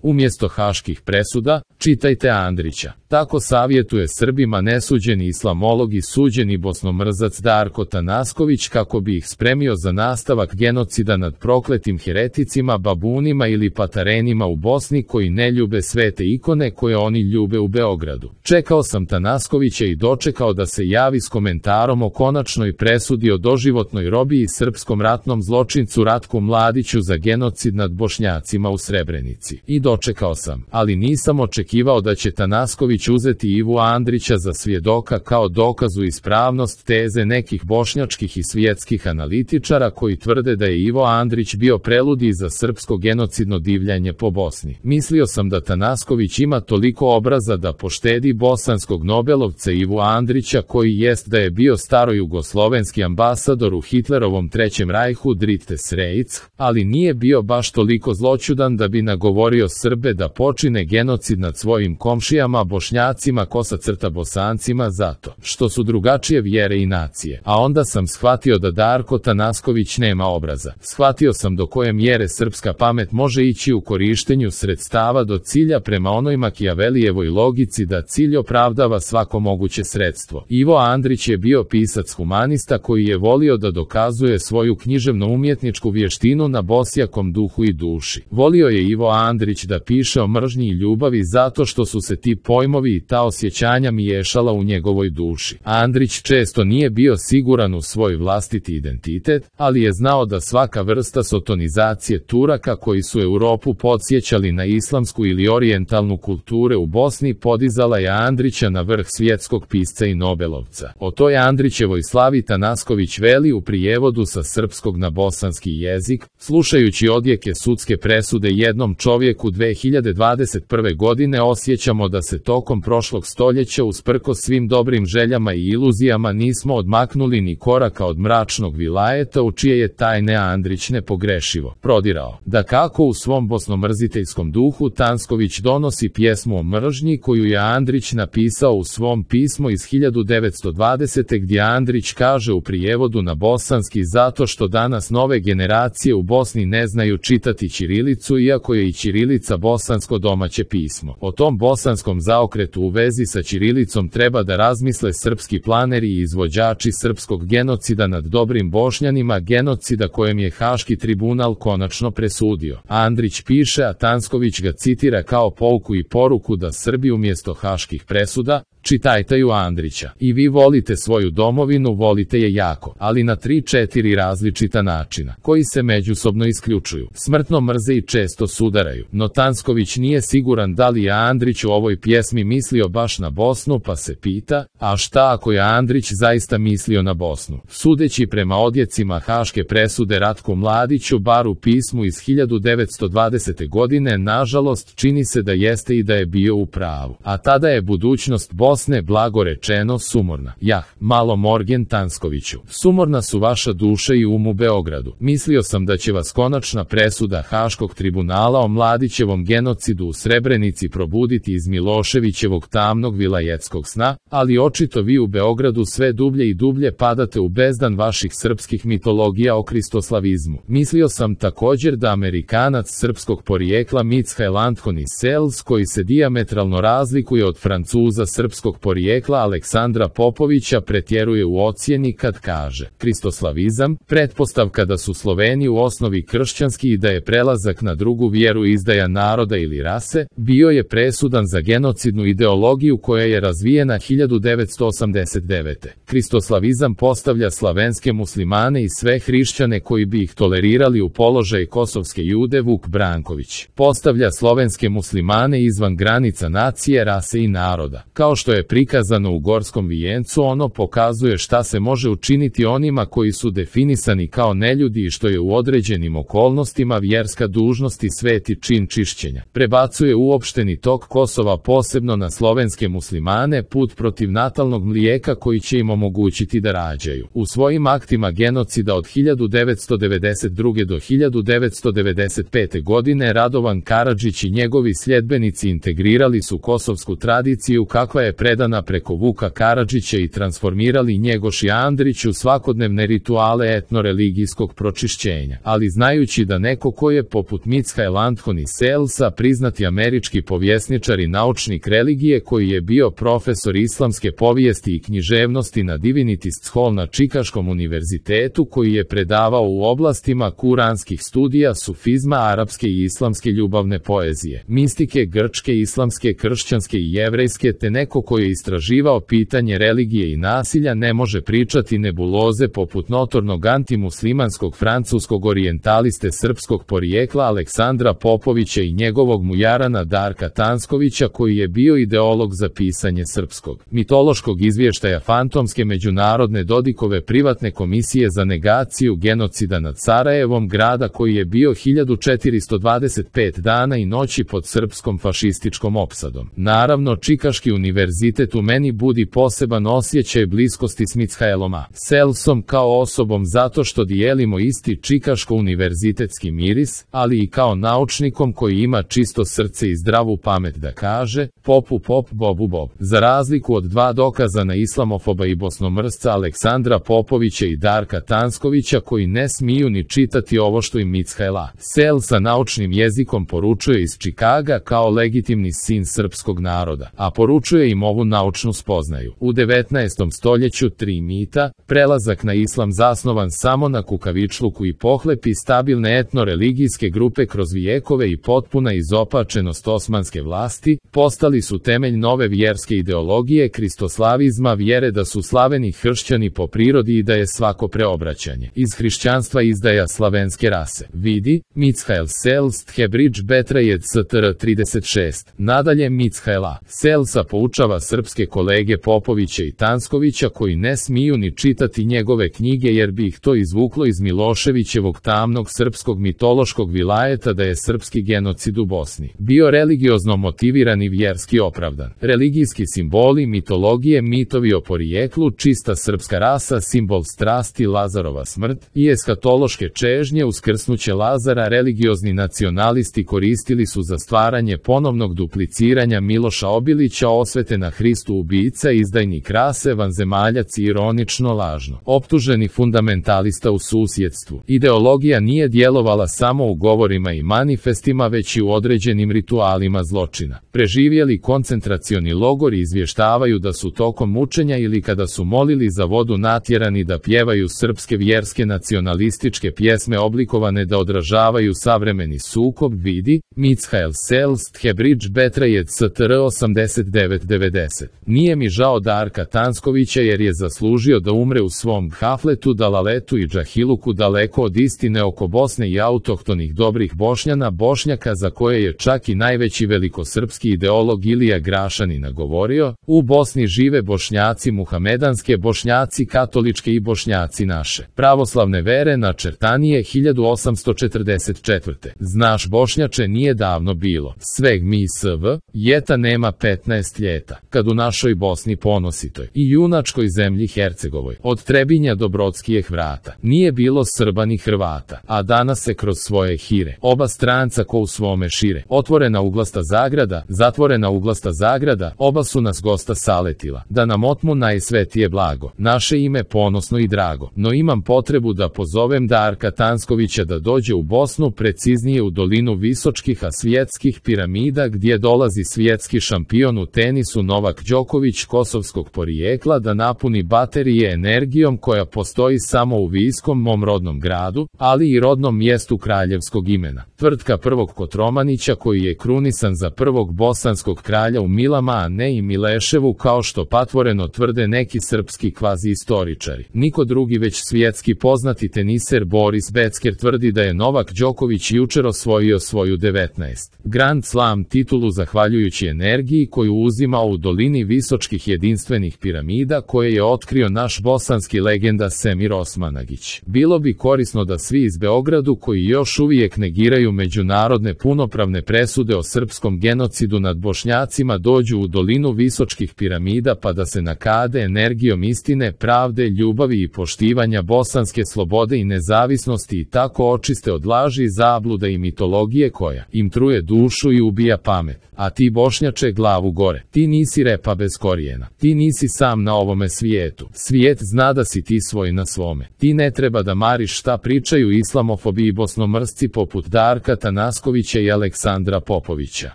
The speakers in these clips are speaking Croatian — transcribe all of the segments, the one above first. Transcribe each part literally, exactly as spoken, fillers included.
Umjesto haških presuda, čitajte Andrića. Tako savjetuje Srbima nesuđeni islamolog i suđeni bosnomrzac Darko Tanasković kako bi ih spremio za nastavak genocida nad prokletim hereticima, babunima ili patarenima u Bosni koji ne ljube svete ikone koje oni ljube u Beogradu. Čekao sam Tanaskovića i dočekao da se javi s komentarom o konačnoj presudi o doživotnoj robiji srpskom ratnom zločincu Ratku Mladiću za genocid nad Bošnjacima u Srebrenici. I dočekao sam, ali nisam očekivao da će Tanasković uzeti Ivu Andrića za svjedoka kao dokazu ispravnost teze nekih bošnjačkih i svjetskih analitičara koji tvrde da je Ivo Andrić bio preludi za srpsko genocidno divljanje po Bosni. Mislio sam da Tanasković ima toliko obraza da poštedi bosanskog nobelovca Ivu Andrića koji jest da je bio starojugoslovenski ambasador u Hitlerovom Trećem rajhu Drittes Reich, ali nije bio baš toliko zloćudan da bi nagovorio Srbe da počine genocid nad svojim komšijama Bošnjacima kosa crta Bosancima zato što su drugačije vjere i nacije. A onda sam shvatio da Darko Tanasković nema obraza. Shvatio sam do koje mjere srpska pamet može ići u korištenju sredstava do cilja prema onoj Makijavelijevoj logici da cilj opravdava svako moguće sredstvo. Ivo Andrić je bio pisac humanista koji je volio da dokazuje svoju književno-umjetničku vještinu na bosjakom duhu i duši. Volio je Ivo Andrić da piše o mržnji i ljubavi zato što su se ti pojmovi i ta osjećanja miješala u njegovoj duši. Andrić često nije bio siguran u svoj vlastiti identitet, ali je znao da svaka vrsta sotonizacije Turaka koji su Europu podsjećali na islamsku ili orijentalnu kulture u Bosni podizala je Andrića na vrh svjetskog pisca i nobelovca. O toj Andrićevoj slavi Tanasković veli u prijevodu sa srpskog na bosanski jezik, slušajući odjeke sudske presude jednom čovjeku dve hiljade dvadeset prve godine osjećamo da se tokom prošlog stoljeća usprkos svim dobrim željama i iluzijama nismo odmaknuli ni koraka od mračnog vilajeta u čije je tajne Andrić nepogrešivo prodirao. Da kako u svom bosnomrziteljskom duhu Tanasković donosi pjesmu o mržnji koju je Andrić napisao u svom pismu iz hiljadu devetsto dvadesete gdje Andrić kaže u prijevodu na bosanski zato što danas nove generacije u Bosni ne znaju čitati ćirilicu iako je i ćirilica bosansko domaće pismo. O tom bosanskom zaokretu u vezi sa ćirilicom treba da razmisle srpski planeri i izvođači srpskog genocida nad dobrim Bošnjanima, genocida kojem je Haški tribunal konačno presudio. Andrić piše, a Tanasković ga citira kao pouku i poruku da Srbi umjesto haških presuda, čitajte Andrića. I vi volite svoju domovinu, volite je jako, ali na tri četiri različita načina, koji se međusobno isključuju. Smrtno mrze i često sudaraju. No Tanasković nije siguran da li je Andrić u ovoj pjesmi mislio baš na Bosnu pa se pita, a šta ako je Andrić zaista mislio na Bosnu? Sudeći prema odjecima haške presude Ratku Mladiću bar u pismu iz hiljadu devetsto dvadesete godine nažalost čini se da jeste i da je bio u pravu. A tada je budućnost Bosne blago rečeno sumorna. Jah, malo Morgen Tanaskoviću. Sumorna su vaša duša i um u Beogradu. Mislio sam da će vas konačna presuda Haškog tribunala o Mladićevom genocidu u Srebrenici probuditi iz Miloševićevog tamnog vilajetskog sna, ali očito vi u Beogradu sve dublje i dublje padate u bezdan vaših srpskih mitologija o kristoslavizmu. Mislio sam također da Amerikanac srpskog porijekla Michael Anthony Sells, koji se dijametralno razlikuje od Francuza srpskog porijekla Aleksandra Popovića, pretjeruje u ocjeni kad kaže: kristoslavizam, pretpostavka da su Sloveni u osnovi kršćanski i da je prelazak na drugu vjeru izdaja naroda ili rase, bio je presudan za genocidnu ideologiju koja je razvijena hiljadu devetsto osamdeset devete. Kristoslavizam postavlja slavenske muslimane i sve hrišćane koji bi ih tolerirali u položaj kosovske Jude Vuk Branković. Postavlja slovenske muslimane izvan granica nacije, rase i naroda. Kao što je prikazano u Gorskom vijencu, ono pokazuje šta se može učiniti onima koji su definisani kao neljudi i što je u određenim okolnostima vjerska dužnost i sveti čin čišćenja. Prebacuje uopšteni tok Kosova posebno na slovenske muslimane, put protiv natalnog mlijeka koji će im omogućiti da rađaju. U svojim aktima genocida od hiljadu devetsto devedeset druge do hiljadu devetsto devedeset pete godine Radovan Karadžić i njegovi sljedbenici integrirali su kosovsku tradiciju kakva je predana preko Vuka Karadžića i transformirali Njegoš i Andrić u svakodnevne rituale etnoreligijskog pročišćenja. Ali znajući da neko ko je poput Michael Anthony Sells Selsa, priznati američki povjesničar i naučnik religije koji je bio profesor islamske povijesti i književnosti na Divinity School na Čikaškom univerzitetu, koji je predavao u oblastima kuranskih studija, sufizma, arapske i islamske ljubavne poezije, mistike grčke, islamske, kršćanske i jevrejske, te neko koji je istraživao pitanje religije i nasilja, ne može pričati nebuloze poput notornog antimuslimanskog francuskog orijentaliste srpskog porijekla Aleksandra Popovića i njegovog mujarana Darka Tanskovića, koji je bio ideolog za pisanje srpskog mitološkog izvještaja fantomske međunarodne Dodikove privatne komisije za negaciju genocida nad Sarajevom, grada koji je bio hiljadu četiristo dvadeset pet dana i noći pod srpskom fašističkom opsadom. Naravno, Čikaški univerzitet u meni budi poseban osjećaj bliskosti s Michaelom A. Selsom kao osobom zato što dijelimo isti čikaško-univerzitetski miris, ali i kao naučnikom koji ima čisto srce i zdravu pamet da kaže popu pop, bobu bob. Za razliku od dva dokazana islamofoba i bosnomrsca Aleksandra Popovića i Darka Tanskovića, koji ne smiju ni čitati ovo što im Michael A. Selsa naučnim jezikom poručuje iz Čikaga kao legitimni sin srpskog naroda, a poručuje im ovu naučnu spoznaju. U devetnaestom stoljeću tri mita, prelazak na islam zasnovan samo na kukavičluku i pohlepi stabilne etno-religijske grupe kroz vijekove i potpuna izopačenost osmanske vlasti, postali su temelj nove vjerske ideologije kristoslavizma, vjere da su slaveni hršćani po prirodi i da je svako preobraćanje iz hrišćanstva izdaja slavenske rase. Vidi, Michael Selst, Hebridge Betrayed S T R trideset šest. Nadalje, Michael A. Selsa poučava srpske kolege Popovića i Tanskovića koji ne smiju ni čitati njegove knjige jer bi ih to izvuklo iz Miloševićevog tamnog srpskog mitološkog vilajeta da je srpski genocid u Bosni bio religiozno motiviran i vjerski opravdan. Religijski simboli, mitologije, mitovi o porijeklu, čista srpska rasa, simbol strasti, Lazarova smrt i eskatološke čežnje, uskrsnuće Lazara, religiozni nacionalisti koristili su za stvaranje ponovnog dupliciranja Miloša Obilića, osvete na Hristu ubica, izdajnik rase, vanzemaljac i ironično lažno optuženi fundamentalista u susjedstvu. Ideologija nije djelovala samo u govorima i manifestima, već i u određenim ritualima zločina. Preživjeli koncentracioni logori izvještavaju da su tokom mučenja ili kada su molili za vodu natjerani da pjevaju srpske vjerske nacionalističke pjesme oblikovane da odražavaju savremeni sukob. Vidi, Michael Selst, Hebridge Betrayed S T R osamdeset devet devedeset. Nije mi žao Darka Tanskovića jer je zaslužio da umre u svom hafletu, dalaletu i džahiluku daleko od istine oko Bosne i autohtonih dobrih Bošnjana, Bošnjaka za koje je čak i najveći velikosrpski ideolog Ilija Grašanina govorio: u Bosni žive Bošnjaci muhamedanske, Bošnjaci katoličke i Bošnjaci naše pravoslavne vere, načrtanije hiljadu osamsto četrdeset četvrte. Znaš Bošnjače, nije davno bilo sveg mi sv, jeta nema petnaest ljeta, kad u našoj Bosni ponositoj i junačkoj zemlji Hercegovoj, od Trebinja do Brodskijeh vrata, nije bilo Srba ni Hrvata, a danas se kroz svoje hire, oba stranca ko u svome šire, otvorena uglasta zagrada, zatvorena uglasta zagrada, oba su nas gosta saletila, da nam otmu najsvetije blago, naše ime ponosno i drago, no imam potrebu da pozovem Darka Tanskovića da dođe u Bosnu, preciznije u dolinu Visočkih a svjetskih piramida, gdje dolazi svjetski šampion u tenisu Novak Đoković kosovskog porijekla da napuni baterije energijom koja postoji samo u Viskom, mom rodnom gradu, ali i rodnom mjestu kraljevskog imena. Tvrtka prvog Kotromanića koji je krunisan za prvog bosanskog kralja u Milama, a ne i Mileševu kao što patvoreno tvrde neki srpski kvazi istoričari. Niko drugi već svjetski poznati teniser Boris Becker tvrdi da je Novak Đoković jučer osvojio svoju devetnaest Grand Slam titulu zahvaljujući energiji koju uzima u dolini Visočkih jedinstvenih piramida koje je otkrio naš bosanski legenda Semir Osmanagić. Bilo bi korisno da svi iz Beogradu koji još uvijek negiraju međunarodne punopravne presude o srpskom genocidu nad Bošnjacima dođu u dolinu Visočkih piramida pa da se nakade energijom istine, pravde, ljubavi i poštivanja bosanske slobode i nezavisnosti i tako očiste od laži, zabluda i mitologije koja im truje dušu i ubija pamet. A ti Bošnjače, glavu gore, ti nisi repa bez korijena, ti nisi sam na ovome svijetu, svijet zna da si ti svoj na svome, ti ne treba da mariš šta pričaju islamofobi i bosnomrsci poput Darka Tanaskovića Popovića i Aleksandra Popovića.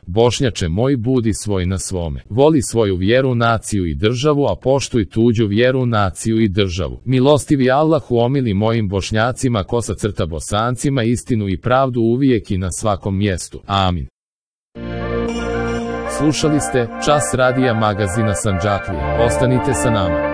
Bošnjače moj, budi svoj na svome. Voli svoju vjeru, naciju i državu, a poštuj tuđu vjeru, naciju i državu. Milostivi Allahu omili mojim Bošnjacima, kosa crta Bosancima, istinu i pravdu uvijek i na svakom mjestu. Amin. Slušali ste Čas radija magazina Sandžaklija. Ostanite sa nama.